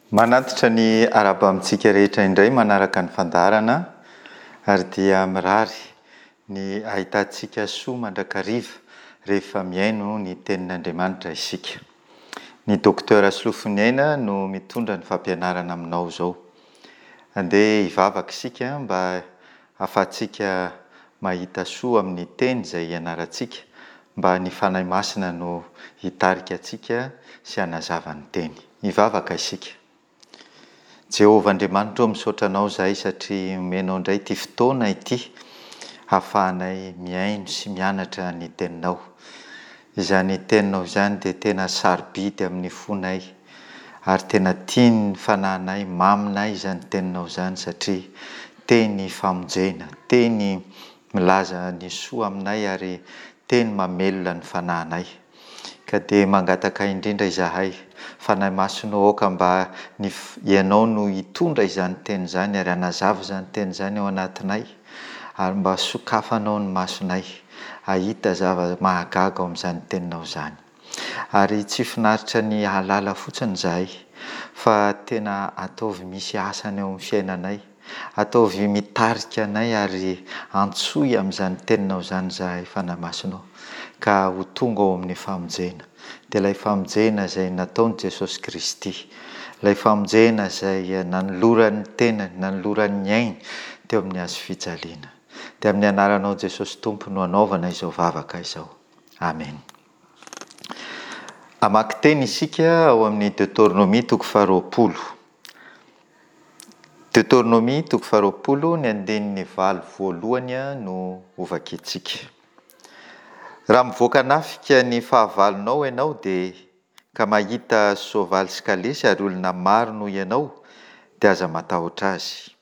Manatitra ny arahaba amintsika rehetra indray manaraka ny fandaharana ary dia mirary ny ahitantsika soa mandrakariva rehefa mihaino ny tenin'Andriamanitra isika. Ny Docteur Solofoniaina no mitondra ny fampianarana aminao izao. Andeha hivavaka isika mba hahafahantsika mahita soa amin'ny teny izay ianarantsika, mba ny Fanahy Masina no hitarika antsika sy hanazava ny teny. Hivavaka isika. Jehovah Andriamanitra ô, misaotra Anao izahay satria omenao indray ity fotoana ity hahafahanay mihaino sy mianatra ny Teninao. Izany Teninao izany dia tena sarobidy amin'ny fonay ary tena tian'ny fanahinay, maminay izany Teninao izany satria Teny famonjena, Teny milaza ny soa aminay ary Teny mamelona ny fanahinay. Ka dia mangataka indrindra izahay, Fanahy Masina ô aoka mba ny Ianao no hitondra izany Teny izany ary hanazava izany Teny izany ao anatinay ary mba sokafanao ny masonay hahita zava-mahagaga ao amin'izany Teninao izany. Ary tsy finaritra ny hahalala fotsiny izahay fa tena ataovy misy asany ao amin'ny fiainanay, ataovy mitarika anay ary antsoy amin'izany Teninao izany izahay Fanahy Masina ô, ka ho tonga ao amin'ny famonjena, dia ilay famonjena izay nataon'i Jesosy Kristy, ilay famonjena izay nanolorany ny tenany, nanolorany ny ainy teo amin'ny hazofijaliana. Dia amin'ny anaranao Jesosy Tompo no anaovana izao vavaka izao. Amen. Hamaky teny isika ao amin'ny Deotornomia toko faharoapolo. Deotornomia toko faharoapolo, ny andininy valo voalohany no hovakintsika. Raha mivoaka hanafika ny fahavalonao ianao dia ka mahita soavaly sy kalesy ary olona maro noho ianao, dia aza matahotra azy.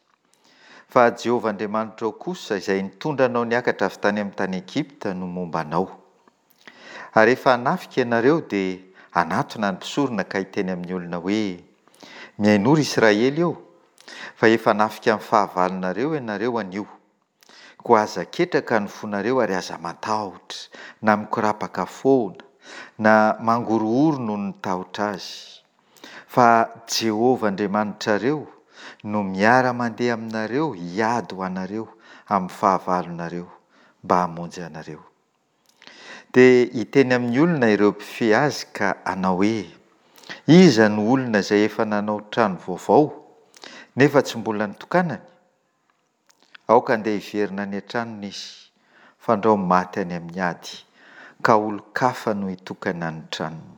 Fa Jehovah Andriamanitrao kosa, izay nitondra anao niakatra avy tany amin'ny tany Egypta, no momba anao. Ary rehefa hanafika ianareo, dia hanatona ny mpisorona ka hiteny amin'ny olona hoe, Mihainoa, ry Israely ô, fa efa hanafika ny fahavalonareo ianareo anio. Koa aza ketraka ny fonareo ary aza matahotra, na mikorapaka foana, na mangorohoro noho ny tahotra azy. Fa Jehovah Andriamanitrareo no miara-mandeha aminareo hiady ho anareo amin'ny fahavalonareo, mba hamonjy anareo. Dia hiteny amin'ny olona ireo mpifehy azy ka hanao hoe, Iza no olona izay efa nanao trano vaovao, nefa tsy mbola nitokanany? Aoka handeha hiverina any an-tranony izy, fandrao maty any amin'ny ady, ka olon-kafa no hitokana ny tranony.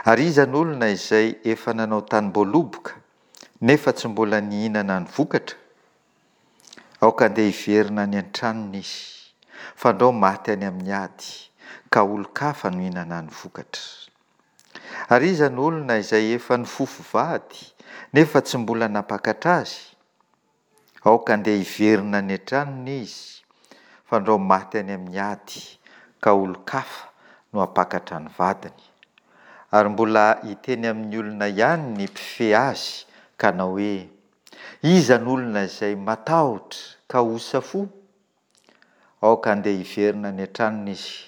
Ary iza no olona izay efa nanao tanim-boaloboka, nefa tsy mbola nihinana ny vokatra? Aoka handeha hiverina any an-tranony izy, fandrao maty any amin'ny ady, ka olon-kafa no hihinana ny vokatra. Ary iza no olona izay efa nifofo vady, nefa tsy mbola nampakatra azy? Aoka handeha hiverina any an-tranony izy, fandrao maty any amin'ny ady, ka olon-kafa no hampakatra ny vadiny. Ary mbola hiteny amin'ny olona ihany ny mpifehy azy, ka hanao hoe, Iza no olona izay matahotra ka osa fo? Aoka handeha hiverina any an-tranony izy,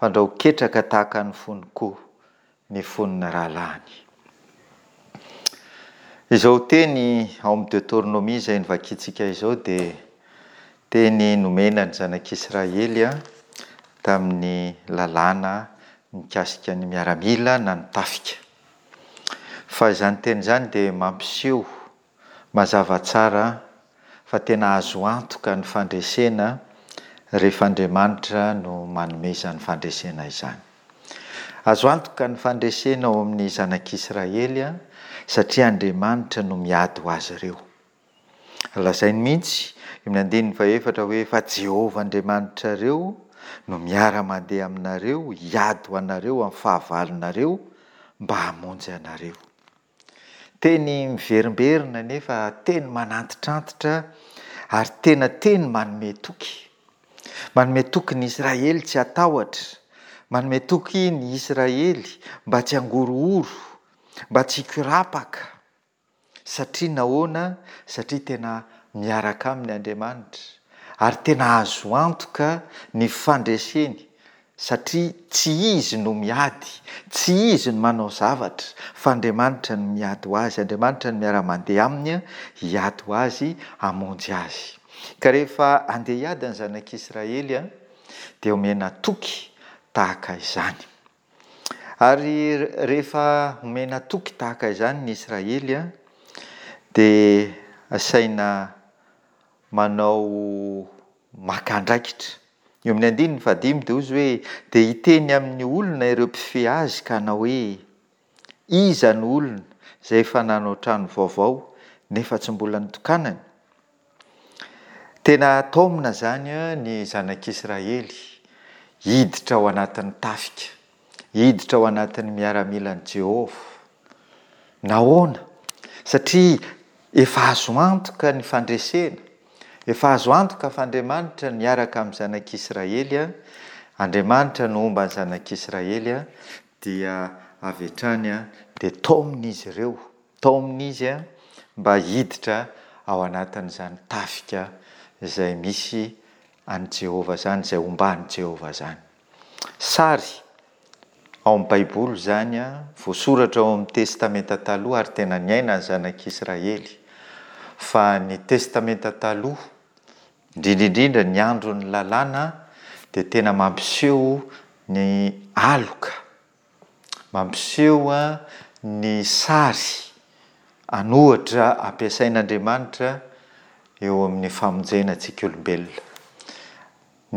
fandrao ketraka tahaka ny fony koa ny fon'ny rahalahiny. Izao teny ao amin'ny Deoteronomia izay novakintsika izao dia teny nomena ny zanak'Israely tamin'ny lalàna mikasika ny miaramila na ny tafika. Fa izany teny izany dia mampiseho Mazava tsara fa tena azo antoka ny fandresena rehefa Andriamanitra no manome izany fandresena izany. Azo antoka ny fandresena ao amin'ny zanak'Israely satria Andriamanitra no miady ho azy ireo. Lazainy mihitsy eo amin'ny andininy fahefatra hoe fa Jehovah Andriamanitrareo no miara-mandeha aminareo hiady ho anareo amin'ny fahavalonareo mba hamonjy anareo. Teny miverimberina nefa teny manantitrantitra ary tena teny manome toky. Manome toky ny Israely tsy hatahotra, manome toky ny Israely mba tsy hangorohoro, mba tsy hikorapaka. Satria nahoana? Satria tena miaraka aminy Andriamanitra ary tena azo antoka ny fandreseny Satria tsy izy no miady, tsy izy no manao zavatra, Fa Andriamanitra no miady ho azy, Andriamanitra no miara-mandeha aminy hiady ho azy, hamonjy azy. Ka rehefa handeha hiady ny zanak'Israely dia omena toky tahaka izany. Ary rehefa omena toky tahaka izany ny Israely dia asaina manao maka andraikitra. Eo amin'ny andininy fahadimy dia hoy izy hoe, Dia hiteny amin'ny olona ireo mpifehy azy ka hanao hoe, Iza no olona izay efa nanao trano vaovao nefa tsy mbola nitokanany? Tena taomina izany ny zanak'Israely hiditra ao anatin'ny tafika, hiditra ao anatin'ny miaramilan'i Jehovah. Nahoana? Satria efa azo antoka ny fandresena, efa azo antoka fa Andriamanitra niaraka amin'ny zanak'Israely, Andriamanitra no homba ny zanak'Israely, dia avy hatrany dia taomina izy ireo. Taomina izy mba hiditra ao anatin'izany tafika izay misy an'i Jehovah izany, izay omban'i Jehovah izany. Sary ao amin'ny Baiboly izany, voasoratra ao amin'ny Testamenta Taloha ary tena niainan'ny Zanak'Israely. Fa ny Testamenta Taloha, indrindra indrindra ny andron'ny Lalàna, dia tena mampiseho ny aloka Mampiseho ny sary an'ohatra ampiasain'Andriamanitra eo amin'ny famonjena antsika olombelona.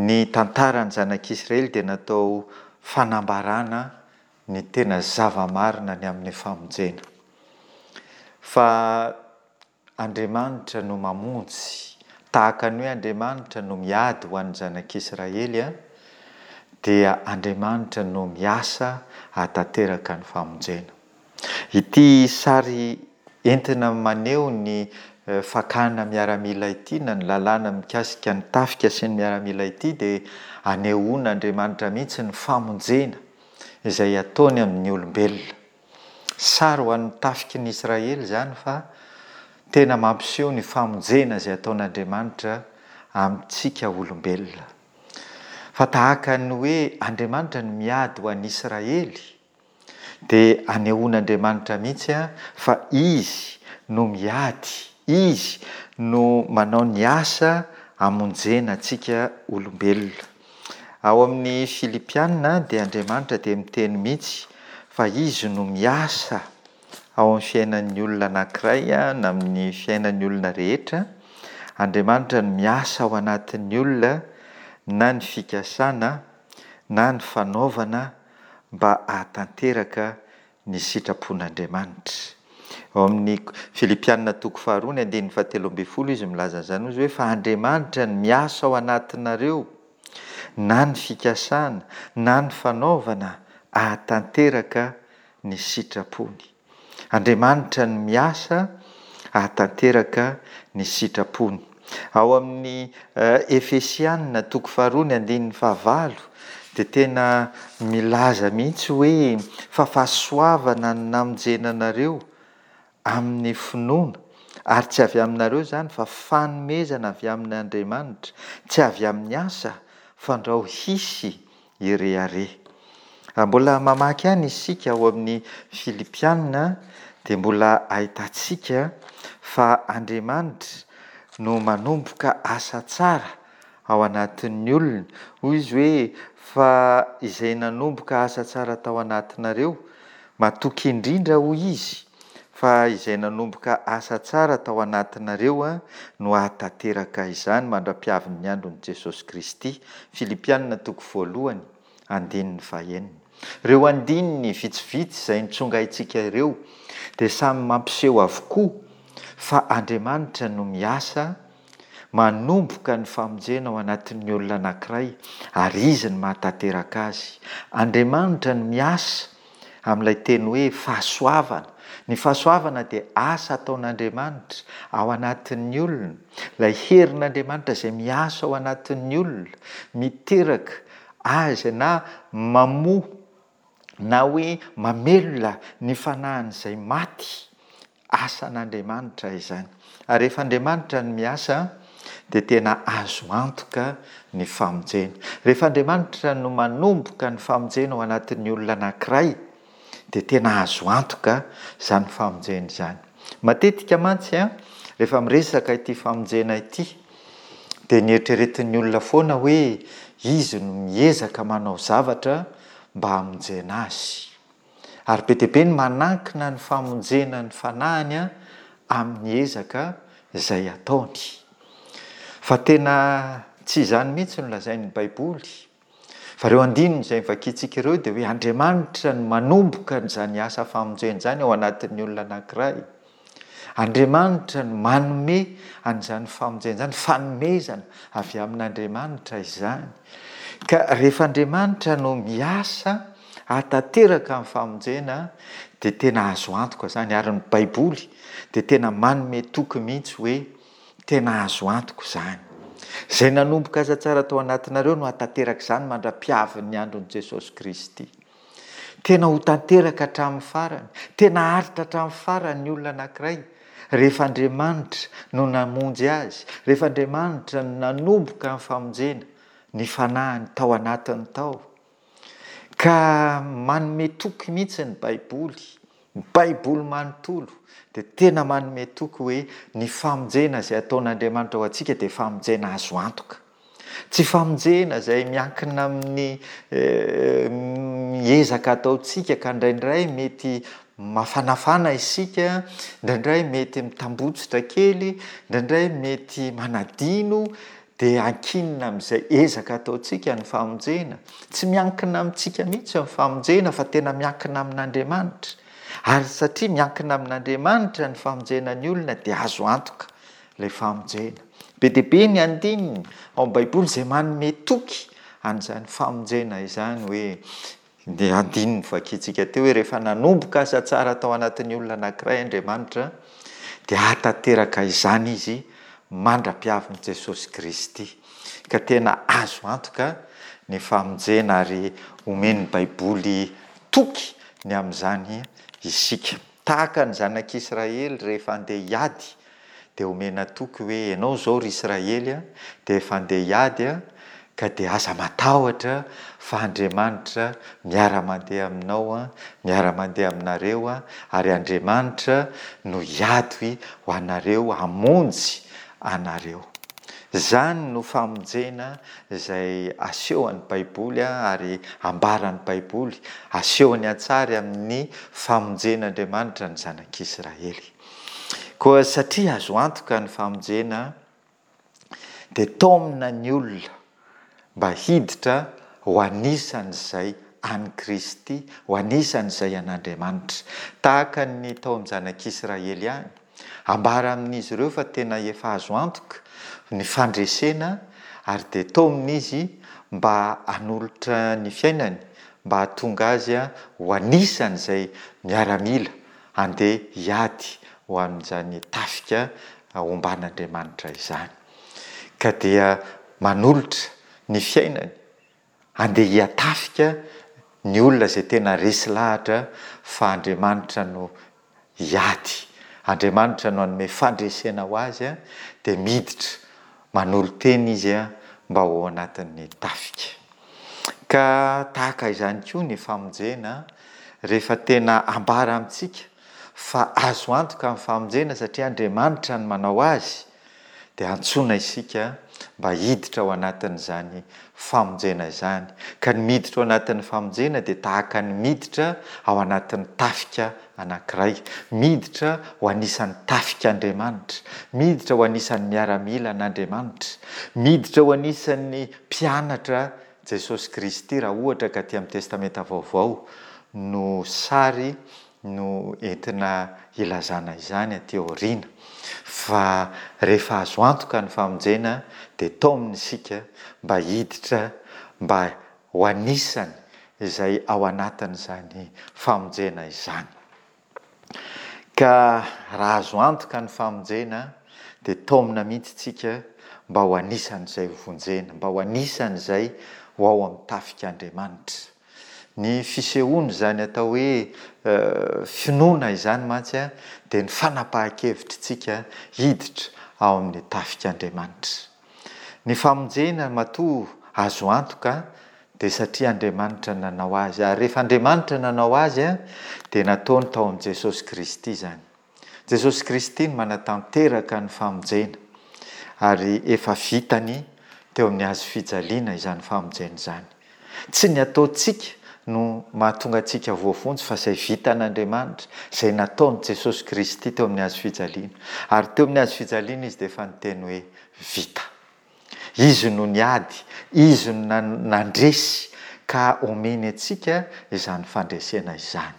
Ny tantaran'ny zanak'Israely dia natao fanambarana ny tena zava-marina ny amin'ny famonjena. Fa Andriamanitra no mamonjy, tahaka ny hoe Andriamanitra no miady ho an'ny zanak'Israely, dia Andriamanitra no miasa hahatanteraka ny famonjena. Ity sary entina maneho ny fakana miaramila ity na ny lalàna mikasika ny tafika sy ny miaramila ity dia anehoan'Andriamanitra mihitsy ny famonjena izay ataony amin'ny olombelona. Sary ho an'ny tafiky ny Israely izany fa tena mampiseho ny famonjena izay ataon'Andriamanitra amintsika olombelona. Fa tahaka ny hoe Andriamanitra no miady ho an'ny Israely dia anehoan'Andriamanitra mihitsy fa Izy no miady, Izy no manao ny asa hamonjena antsika olombelona. Ao amin'ny Filipiana dia Andriamanitra dia miteny mihitsy fa Izy no miasa ao amin'ny fiainan'ny olona anankiray na amin'ny fiainan'ny olona rehetra. Andriamanitra no miasa ao anatin'ny olona na ny fikasana na ny fanaovana mba hahatanteraka ny sitrapon'Andriamanitra. Ao amin'ny Filipiana toko faharoa ny andininy fahatelo ambin'ny folo izy milaza an'izany, hoy izy hoe, Fa Andriamanitra no miasa ao anatinareo na ny fikasana na ny fanaovana hahatanteraka ny sitrapony. Andriamanitra no miasa hahatanteraka ny sitrapony. Ao amin'ny Efesiana toko faharoa ny andininy fahavalo dia tena milaza mihitsy hoe fa fahasoavana no namonjena anareo amin'ny finoana, ary tsy avy aminareo izany fa fanomezana avy amin' Andriamanitra, tsy avy amin'ny asa, fandrao hisy hirehareha. Raha mbola mamaky ihany isika ao amin'ny Filipiana dia mbola ahitantsika fa Andriamanitra no manomboka asa tsara ao anatin'ny olona. Hoy izy hoe, Fa izay nanomboka asa tsara tao anatinareo, matoky indrindra, hoy izy, fa izay nanomboka asa tsara tao anatinareo no hahatanteraka izany mandra-piavin'ny andron'i Jesosy Kristy. Filipiana toko voalohany, andininy fahenina. Ireo andininy vitsivitsy izay nitsongaintsika ireo dia samy mampiseho avokoa fa Andriamanitra no miasa manomboka ny famonjena ao anatin'ny olona anankiray ary Izy no mahatanteraka azy. Andriamanitra no miasa amin'ilay teny hoe fahasoavana. Ny fahasoavana dia asa ataon'Andriamanitra ao anatin'ny olona, ilay herin'Andriamanitra izay miasa ao anatin'ny olona, miteraka azy na mamoa na hoe mamelona ny fanahin'izay maty. Asan'Andriamanitra izany. Ary rehefa Andriamanitra no miasa dia tena azo antoka ny famonjena. Rehefa Andriamanitra no manomboka ny famonjena ao anatin'ny olona anankiray Dia tena azo antoka izany famonjena izany. Matetika mantsy rehefa miresaka ity famonjena ity dia ny eritreretin'ny olona foana hoe izy no miezaka manao zavatra mba hamonjena azy. Ary be dia be ny manankina ny famonjena ny fanahiny amin'ny ezaka izay ataony. Fa tena tsy izany mihitsy no lazain'ny Baiboly. Fa ireo andininy izay novakintsika ireo dia hoe Andriamanitra no manomboka an'izany asa famonjena izany ao anatin'ny olona anankiray. Andriamanitra no manome an'izany famonjena izany, fanomezana avy amin'Andriamanitra izany. Ka rehefa Andriamanitra no miasa hahatanteraka ny famonjena dia tena azo antoka izany ary ny Baiboly dia tena manome toky mihitsy hoe tena azo antoka izany. Izay nanomboka asa tsara tao anatinareo no hahatanteraka izany mandra-piavin'ny andron'i Jesosy Kristy. Tena ho tanteraka hatramin'ny farany, tena haharitra hatramin'ny farany ny olona anankiray rehefa Andriamanitra no namonjy azy, rehefa Andriamanitra no nanomboka ny famonjena ny fanahiny tao anatiny tao. Ka manome toky mihitsy ny Baiboly, ny Baiboly manontolo dia tena manome toky hoe ny famonjena izay ataon'Andriamanitra ho antsika dia famonjena azo antoka. Tsy famonjena izay miankina amin'ny ezaka ataontsika ka indraindray mety mafanafana isika, indraindray mety mitambotsitra kely, indraindray mety manadino dia ankinina amin'izay ezaka ataontsika ny famonjena. Tsy miankina amintsika mihitsy ny famonjena fa tena miankina amin'Andriamanitra. Ary satria miankina amin'Andriamanitra ny famonjena ny olona dia azo antoka ilay famonjena. Be dia be ny andininy ao amin'ny Baiboly izay manome toky an'izany famonjena izany hoe ny andininy vakintsika teo hoe rehefa nanomboka asa tsara tao anatin'ny olona anankiray Andriamanitra dia hahatanteraka izany izy mandra-piavin'i Jesosy Kristy. Ka tena azo antoka ny famonjena ary omen'ny Baiboly toky ny amin'izany isika. Tahaka ny zanak'Israely rehefa handeha hiady dia omena toky hoe ianao izao ry Israely a, dia efa handeha hiady a, ka dia aza matahotra fa Andriamanitra miara-mandeha aminao a, miara-mandeha aminareo a, ary Andriamanitra no hiady ho anareo hamonjy anareo. Izany no famonjena izay asehon'ny Baiboly ary ambaran'ny Baiboly, asehony an-tsary amin'ny famonjen'Andriamanitra ny zanak'Israely. Koa satria azo antoka ny famonjena, dia taomina ny olona mba hiditra ho anisan'izay an'i Kristy, ho anisan'izay an'Andriamanitra. Tahaka ny tao amin'ny zanak'Israely ihany. Ambara amin'izy ireo fa tena efa azo antoka ny fandresena ary dia taomina izy mba hanolotra ny fiainany mba hahatonga azy ho anisan'izay miaramila handeha hiady ho amin'izany tafika omban'Andriamanitra izany. Ka dia manolotra ny fiainany handeha hiatafika ny olona izay tena resy lahatra fa Andriamanitra no hiady, Andriamanitra no hanome fandresena ho azy, dia miditra manolo-tena izy mba ho ao anatin'ny tafika. Ka tahaka izany koa ny famonjena, rehefa tena ambara amintsika fa azo antoka ny famonjena satria Andriamanitra no manao azy, dia antsoina isika mba hiditra ao anatin'izany famonjena izany. Ka ny miditra ao anatin'ny famonjena dia tahaka ny miditra ao anatin'ny tafika anankiray. Miditra ho anisan'ny tafik'Andriamanitra. Miditra ho anisan'ny miaramilan'Andriamanitra. Miditra ho anisan'ny mpianatra Jesosy Kristy raha ohatra ka aty amin'ny Testamenta Vaovao no sary no entina hilazana izany aty aoriana fa rehefa azo antoka ny famonjena dia taomina isika mba hiditra mba ho anisany izay ao anatin'izany famonjena izany. Ka raha azo antoka ny famonjena dia taomina mihitsy tsika mba ho anisan'izay ho vonjena, mba ho anisan'izay ho ao amin'ny tafik'Andriamanitra. Ny fisehoan'izany atao hoe finoana izany mantsy dia ny fanapahan-kevitritsika hiditra ao amin'ny tafik'Andriamanitra. Ny famonjena matoa azo antoka. Dia satria Andriamanitra nanao azy. Ary rehefa Andriamanitra nanao azy dia nataony tao amin'i Jesosy Kristy izany. Jesosy Kristy no manatanteraka ny famonjena. Ary efa vitany teo amin'ny hazo fijaliana izany famonjena izany. Tsy ny ataontsika no mahatonga antsika voavonjy fa izay vitan'Andriamanitra, izay nataon'i Jesosy Kristy teo amin'ny hazo fijaliana. Ary teo amin'ny hazo fijaliana Izy dia efa niteny hoe, Vita. Izy no niady, Izy no nandresy ka omeny antsika izany fandresena izany.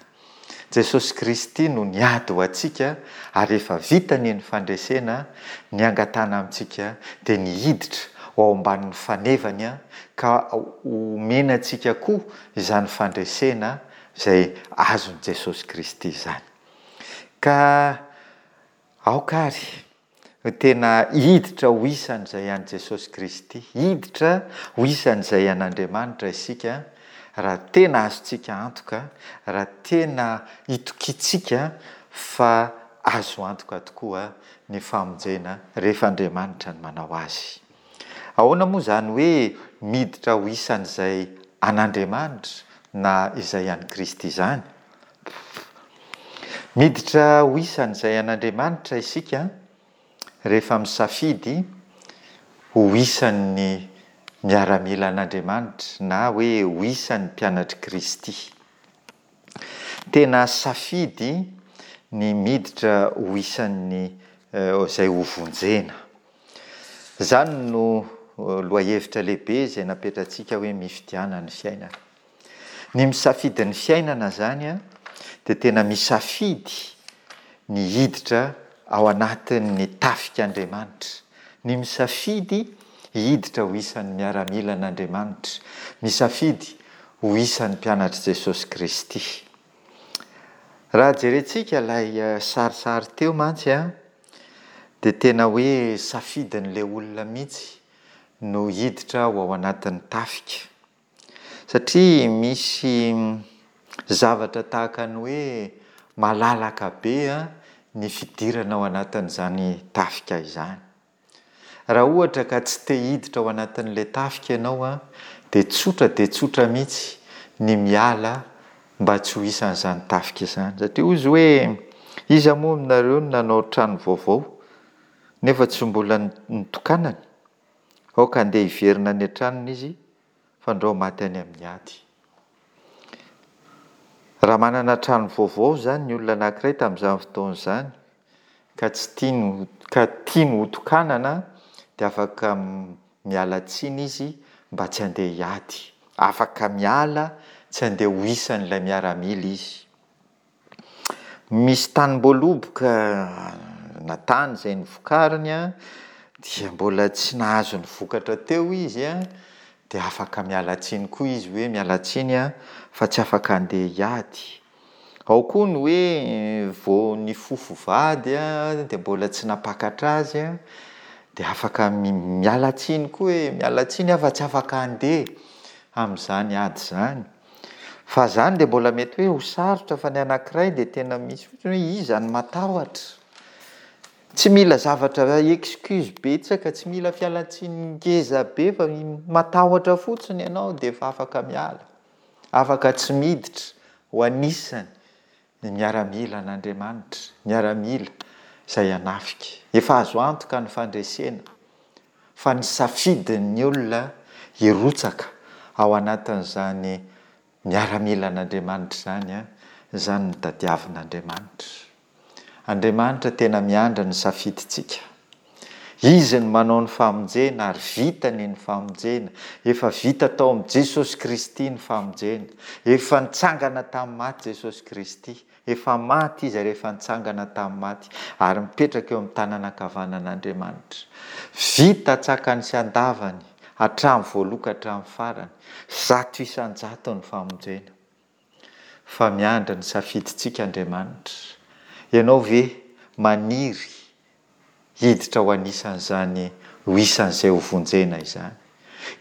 Jesosy Kristy no niady ho antsika ary efa vitany ny fandresena, ny angatahana amintsika dia ny hiditra ho ao ambanin'ny fanevany ka omena antsika koa izany fandresena izay azon'i Jesosy Kristy izany. Ka aoka ary no tena hiditra ho isan'izay an'i Jesosy Kristy, hiditra ho isan'izay an'Andriamanitra isika raha tena azontsika antoka, raha tena itokiantsika fa azo antoka tokoa ny famonjena rehefa Andriamanitra no manao azy. Ahoana moa izany hoe miditra ho isan'izay an'Andriamanitra na izay an'i Kristy izany? Miditra ho isan'izay an'Andriamanitra isika rehefa misafidy ho isan'ny miaramilan'Andriamanitra na hoe ho isan'ny mpianatr'i Kristy. Tena safidy ny miditra ho isan'ny izay hovonjena. Izany no lohahevitra lehibe izay napetratsika hoe mifidiana ny fiainana. Ny misafidy ny fiainana izany dia tena misafidy ny hiditra ao anatin'ny tafik'Andriamanitra, ny misafidy hiditra ho isan'ny miaramilan'Andriamanitra, misafidy ho isan'ny mpianatr'i Jesosy Kristy. Raha jerentsika ilay sarisary teo mantsy dia tena hoe safidin'ilay olona mihitsy no hiditra ho ao anatin'ny tafika. Satria misy zavatra tahaka ny hoe malalaka be ny fidirana ao anatin'izany tafika izany. Raha ohatra ka tsy te hiditra ao anatin'ilay tafika ianao dia tsotra dia tsotra mihitsy ny miala mba tsy ho isan'izany tafika izany. Satria hozy hoe iza moa aminareo no nanao trano vaovao nefa tsy mbola nitokanany? Aoka handeha hiverina any an-tranony izy fandrao maty any amin'ny ady. Raha manana trano vaovao izany ny olona anankiray tamin'izany fotoana izany ka tsy tiany ka tiany hotokanana dia afaka miala tsiny izy mba tsy handeha hiady. Afaka miala tsy handeha ho isan'ilay miaramila izy. Misy tanim-boaloboka na tany izay novokariny dia mbola tsy nahazo ny vokatra teo izy dia afaka miala tsiny koa izy hoe miala tsiny aho fa tsy afaka handeha hiady. Ao koa ny hoe vao nifofo vady dia mbola tsy nampakatra azy dia afaka miala tsiny koa hoe miala tsiny aho fa tsy afaka handeha amin'izany ady izany. Fa zany dia mbola mety hoe ho sarotra fa ny anankiray dia tena misy fotsiny hoe iza no matahotra. Tsy mila zavatra excuse betsaka, tsy mila fialantsiny ngeza be fa matahotra fotsiny ianao dia efa afaka miala. Afaka tsy miditra ho anisany ny miaramila an'Andriamanitra, miaramila izay hanafika. Efa azo antoka ny fandresena fa ny safidin'ny olona hirotsaka ao anatin'izany miaramilan'Andriamanitra izany, izany no tadiavin'Andriamanitra. Andriamanitra tena miandry ny safidintsika. Izy no manao ny famonjena ary vitany ny famonjena. Efa vita tao amin'i Jesosy Kristy ny famonjena. Efa nitsangana tamin'ny maty Jesosy Kristy. Efa maty Izy ary efa nitsangana tamin'ny maty ary mipetraka eo amin'ny tanana ankavanan'Andriamanitra. Vita an-tsakany sy an-davany, hatramin'ny voaloha ka hatramin'ny farany, 100% ny famonjena. Fa miandry ny safidintsika Andriamanitra. Ianao ve maniry hiditra ho anisan'izany ho isan'izay ho vonjena izany.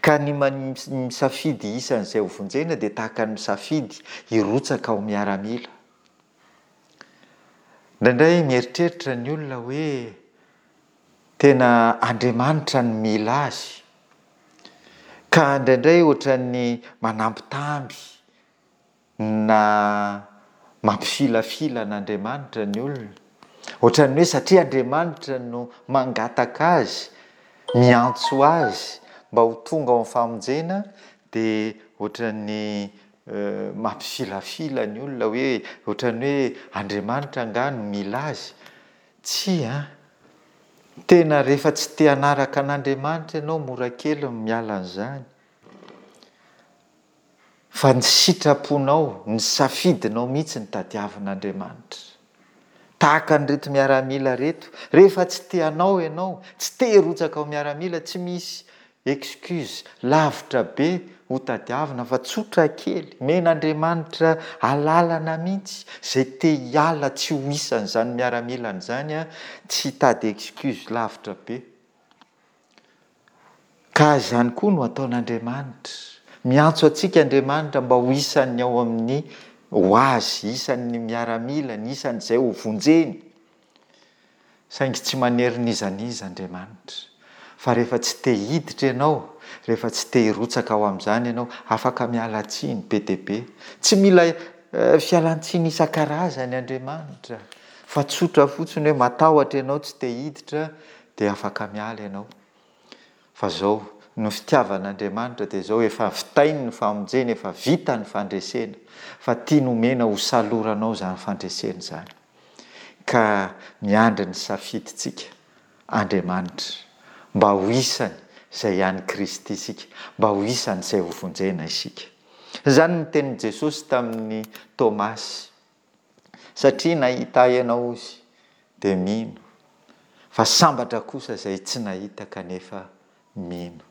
Ka ny misafidy isan'izay ho vonjena dia tahaka ny misafidy hirotsaka ho miaramila. Indraindray mieritreritra ny olona hoe tena Andriamanitra no mila azy. Ka indraindray ohatran'ny manambitamby na mampifilafila an'Andriamanitra ny olona. Ohatran'ny hoe satria Andriamanitra no mangataka azy, miantso azy mba ho tonga ao amin'ny famonjena dia ohatran'ny mampifilafila ny olona hoe ohatran'ny hoe Andriamanitra angaha no mila azy. Tsia an! Tena rehefa tsy te hanaraka an'Andriamanitra ianao mora kely ny miala an'izany. Fa ny sitraponao, ny safidinao mihitsy no tadiavin'Andriamanitra. Tahaka an'ireto miaramila ireto, rehefa tsy te hanao ianao, tsy te hirotsaka ho miaramila, tsy misy excuse lavitra be ho tadiavina fa tsotra kely, omen'Andriamanitra alalana mihitsy, izay te hiala tsy ho isan'izany miaramilany izany tsy hitady excuse lavitra be. Ka izany koa no ataon'Andriamanitra. Miantso antsika Andriamanitra mba ho isan'ny ao amin'ny ho Azy, isan'ny miaramilany, isan'izay ho vonjeny. Saingy tsy manery n'iza n'iza Andriamanitra. Fa rehefa tsy te hiditra ianao, rehefa tsy te hirotsaka ao amin'izany ianao, afaka miala tsiny be dia be. Tsy mila fialan-tsiny isan-karazany Andriamanitra, fa tsotra fotsiny hoe matahotra ianao tsy te hiditra dia afaka miala ianao. Fa zao, ny fitiavan'Andriamanitra dia zao, efa vitainy ny famonjena, efa vita ny fandresena, fa tiany omena ho saloranao izany fandresena izany. Ka miandry ny safidintsika Andriamanitra, mba ho isany izay an'i Kristy isika, mba ho isany izay hovonjena isika. Izany ny tenin'i Jesosy tamin'i Tomasy. Satria nahita ahy ianao ozy dia mino, fa sambatra kosa izay tsy nahita kanefa mino.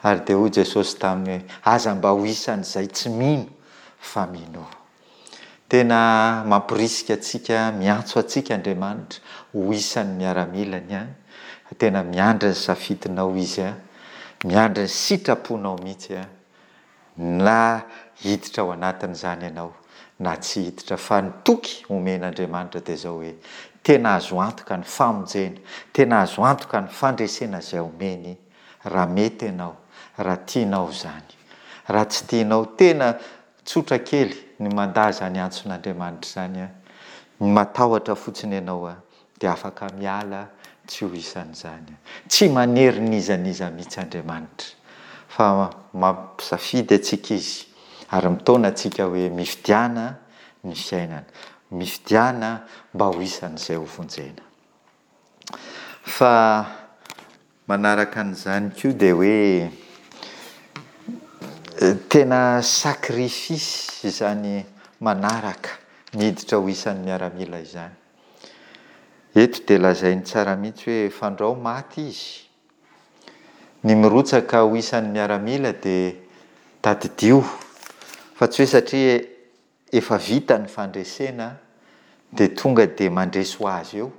Ary dia hoy Jesosy taminy hoe, Aza mba ho isan'izay tsy mino fa minoa. Tena mamporisika antsika, miantso antsika Andriamanitra ho isan'ny miaramilany an! Tena miandry ny safidinao Izy an! Miandry ny sitraponao mihitsy an! Na hiditra ao anatin'izany ianao na tsy hiditra fa ny toky omen'Andriamanitra dia izao hoe, tena azo antoka ny famonjena, tena azo antoka ny fandresena izay omeny raha mety ianao, raha tianao izany. Raha tsy tianao, tena tsotra kely ny mandà izany antson'Andriamanitra izany an, ny matahotra fotsiny ianao an, dia afaka miala tsy ho isan'izany. Tsy manery n'iza n'iza mihitsy Andriamanitra, fa mampisafidy antsika Izy ary mitaona antsika hoe mifidiana ny fiainana, mifidiana mba ho isan'izay ho vonjena. Fa manaraka an'izany koa dia hoe tena sacrifice izany manaraka miditra ho isan'ny miaramila izany. Eto dia lazainy tsara mihitsy hoe fandrao maty izy. Ny mirotsaka ho isan'ny miaramila dia tadidio fa tsy hoe satria efa vita ny fandresena dia tonga dia mandresy ho azy eo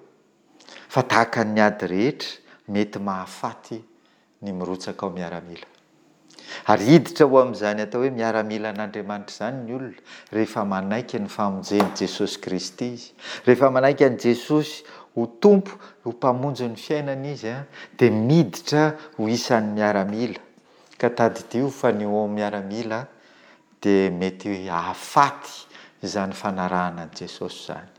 fa tahaka ny ady rehetra mety mahafaty ny mirotsaka ao miaramila. Ary hiditra ho amin'izany atao hoe miaramilan'Andriamanitra izany ny olona rehefa manaiky ny famonjen'i Jesosy Kristy izy. Rehefa manaiky an'i Jesosy ho Tompo, ho Mpamonjy ny fiainany izy, dia miditra ho isan'ny miaramila. Ka tadidio fa ny ho miaramila dia mety hahafaty izany fanarahana an'i Jesosy izany.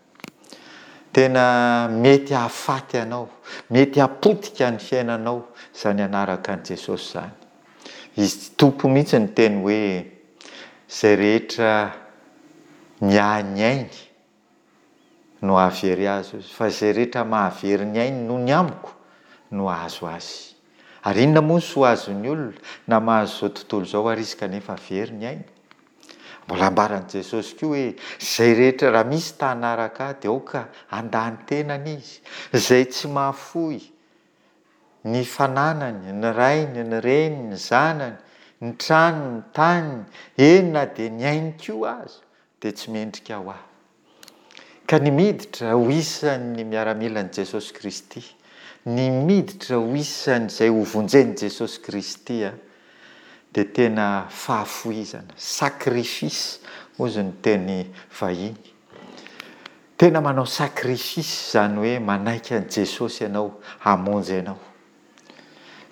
Tena mety hahafaty anao, mety hapotika ny fiainanao izany hanaraka an'i Jesosy izany. Izy Tompo mihitsy niteny hoe, Izay rehetra miahy ny ainy no hahavery azy, fa izay rehetra mahavery ny ainy noho ny amiko no hahazo azy. Ary inona moa ny soa azon'ny olona na mahazo izao tontolo izao ary izy kanefa very ny ainy? Mbola ambaran'i Jesosy koa hoe, Izay rehetra, raha misy ta hanaraka Ahy, dia aoka handà ny tenany izy. Izay tsy mahafoy ny fananany, ny rainy, ny reniny, ny zanany, ny tranony, ny taniny, eny na dia ny ainy koa aza, dia tsy mendrika ho Ahy. Ka ny miditra ho isan'ny miaramilan'i Jesosy Kristy, ny miditra ho isan'izay hovonjen'i Jesosy Kristy dia tena fahafoizana, sacrifice hozy ny teny vahiny. Tena manao sacrifice izany hoe manaiky an'i Jesosy ianao hamonjy anao.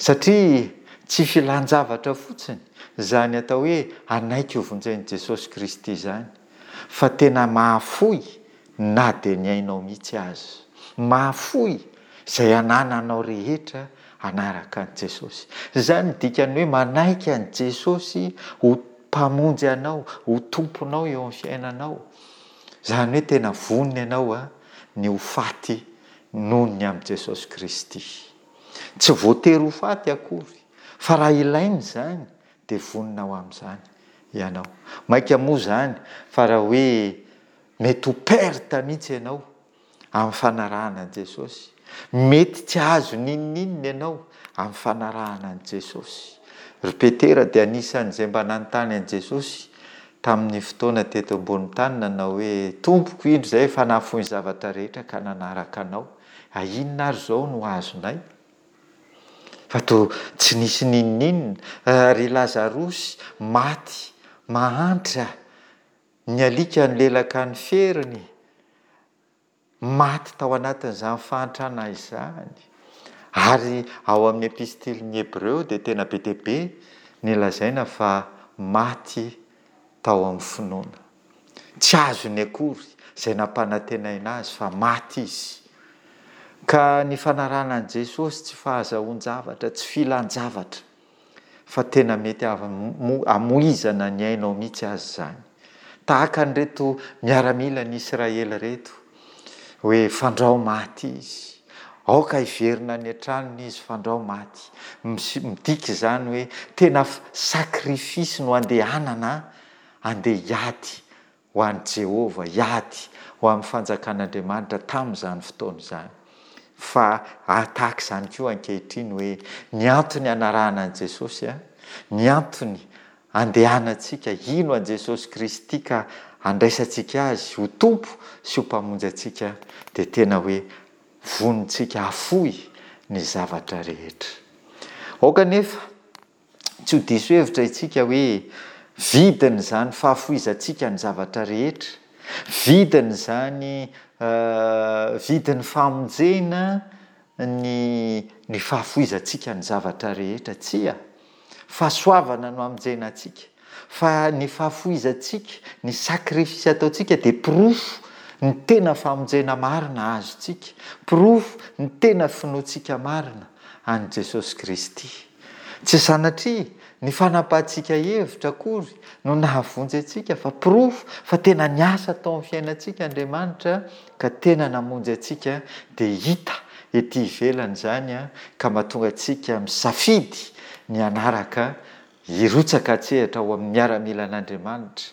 Satria. Tsy filan-javatra fotsiny izany atao hoe hanaiky hovonjen'i Jesosy Kristy izany, fa tena mahafoy na dia ny ainao mihitsy aza. Mahafoy izay anananao rehetra hanaraka an'i Jesosy. Izany no dikan'ny hoe manaiky an'i Jesosy ho Mpamonjy anao, ho Tomponao eo amin'ny fiainanao. Izany hoe tena vonona ianao ny ho faty noho ny amin'i Jesosy Kristy. Tsy voatery ho faty akory, fa raha ilaina izany dia vonona ho amin'izany ianao. Mainka moa izany fa raha hoe mety ho perte mihitsy ianao amin'ny fanarahana an'i Jesosy. Mety tsy hahazo n'inon'inona ianao amin'ny fanarahana an'i Jesosy. Ry Petera dia anisan'izay mba nanontany an'i Jesosy tamin'ny fotoana teto ambonin'ny tany nanao hoe, Tompoko, indro izahay efa nahafoy ny zavatra rehetra ka nanaraka Anao. A inona ary izao no azonay? Fa toa tsy nisy n'inon'inona. Ry Lazarosy maty mahantra, ny alika nilelaka ny feriny, maty tao anatin'izany fahantrana izany. Ary ao amin'ny epistilin'ny Hebreo dia tena be dia be ny lazaina fa maty tao amin'ny finoana. Tsy azony akory izay nampanantenaina azy fa maty izy. Ka ny fanarahana an'i Jesosy tsy fahazahoan-javatra, tsy filan-javatra, fa tena mety hamoizana ny ainao mihitsy aza izany. Tahaka an'ireto miaramilan'i Israely ireto, hoe fandrao maty izy. Aoka hiverina any an-tranony izy fandrao maty. Midika izany hoe tena sacrifice no andehanana handeha hiady ho an'i Jehovah, hiady ho amin'ny Fanjakan'Andriamanitra tamin'izany fotoana izany. Fa tahaka izany koa ankehitriny hoe ny antony hanarahana an'i Jesosy, ny antony andehanantsika hino an'i Jesosy Kristy ka handraisantsika Azy ho Tompo sy ho Mpamonjy antsika dia tena hoe vonintsika hafoy ny zavatra rehetra. Aoka anefa Tsy ho diso hevitra isika hoe vidiny izany fahafoizantsika ny zavatra rehetra, vidiny izany vidin'ny famonjena ny ny fahafoizantsika ny zavatra rehetra. Tsia! Fahasoavana no hamonjena antsika. Fa ny fahafoizantsika, ny sacrifice ataontsika dia porofo ny tena famonjena marina azontsika, porofo ny tena finoantsika marina an'i Jesosy Kristy. Tsy sanatria ny fanapahantsika hevitra akory no nahavonjy antsika fa porofo fa tena niasa tao amin'ny fiainantsika Andriamanitra ka tena namonjy antsika dia hita ety ivelany izany ka mahatonga antsika misafidy ny hanaraka hirotsaka an-tsehatra ao amin'ny miaramilan'Andriamanitra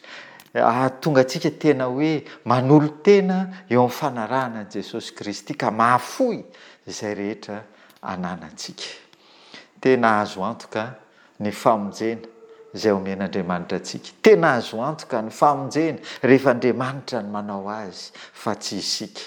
hahatonga antsika tena hoe manolo-tena eo amin'ny fanarahana an'i Jesosy Kristy ka mahafoy izay rehetra ananantsika. Tena azo antoka ny famonjena izay omen'Andriamanitra antsika. Tena azo antoka ny famonjena rehefa Andriamanitra no manao azy fa tsy isika.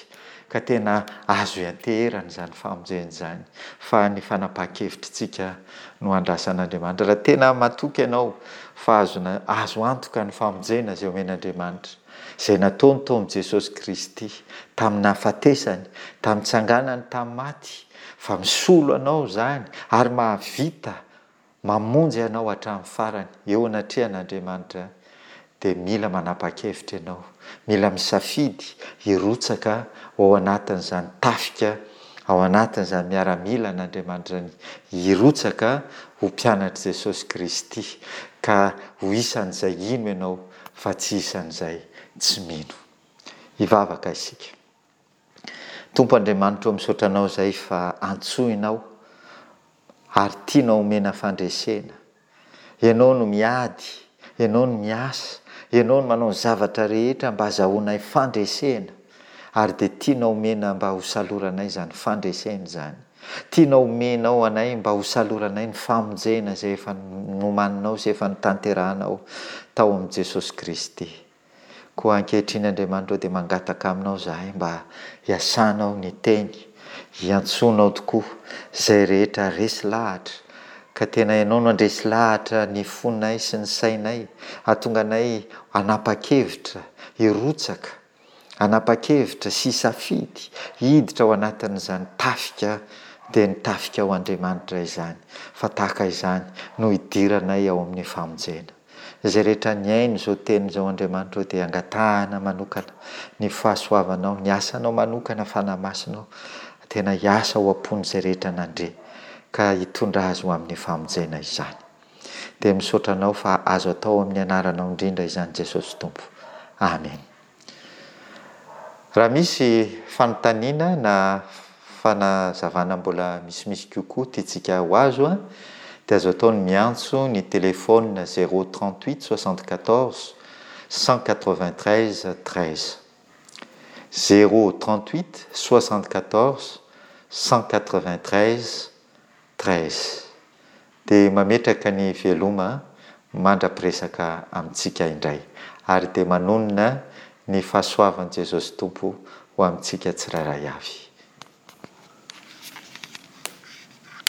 Ka tena azo ianteherana izany famonjena izany fa ny fanapahan-kevitritsika no andrasan'Andriamanitra. Raha tena matoky ianao fa azona azo antoka ny famonjena izay omen'Andriamanitra, izay nataony tao amin'i Jesosy Kristy tamin'ny nahafatesany, tamin'ny nitsanganany tamin'ny maty, fa misolo anao izany ary mahavita mamonjy anao hatramin'ny farany eo anatrehan'Andriamanitra dia mila manapa-kevitra ianao, mila misafidy hirotsaka ho ao anatin'izany tafika, ao anatin'izany miaramila an'Andriamanitra izany, hirotsaka ho mpianatr'i Jesosy Kristy, ka ho isan'izay hino ianao fa tsy isan'izay tsy mino. Hivavaka isika. Tompo Andriamanitra ô misaotra Anao izay fa antsoinao ary tianao omena fandresena. Ianao no miady, Ianao no miasa, Ianao no manao ny zavatra rehetra mba azahoanay fandresena ary dia tianao omena mba ho saloranay izany fandresena izany. Tianao omenao anay mba ho saloranay ny famonjena izay efa nomaninao sy efa notanterahanao tao amin'i Jesosy Kristy. Koa ankehitriny Andriamanitra ô dia mangataka aminao izahay mba hiasanao ny teny, hiantsoanao tokoa izay rehetra resy lahatra, ka tena ianao no handresy lahatra ny fonay sy ny sainay, hahatonga anay hanapa-kevitra hirotsaka, hanapa-kevitra sy hisafidy hiditra ao anatin'izany tafika Dia ny tafika ho Andriamanitra izany, fa tahaka izany no hidiranay ao amin'ny famonjena. Izay rehetra nihaino izao teny izao Andriamanitra ô dia angatahana manokana ny fahasoavanao, ny asanao manokana, Fanahy Masinao, tena hiasa ao am-pon'izay rehetra nandre ka hitondra azy ho amin'ny famonjena izany. Dia misaotra Anao fa azo atao amin'ny anaranao indrindra izany Jesosy Tompo. Amen. Raha misy fanontaniana na fanazavana mbola misimisy kokoa tiantsika ho azo dia azo atao ny miantso ny telefaonina zéro 38 74 193 13. Zéro 38 74 193 13. Dia mametraka ny veloma mandra-piresaka amintsika indray. Ary dia manonona ny fahasoavan'i Jesosy Tompo ho amintsika tsirairay avy.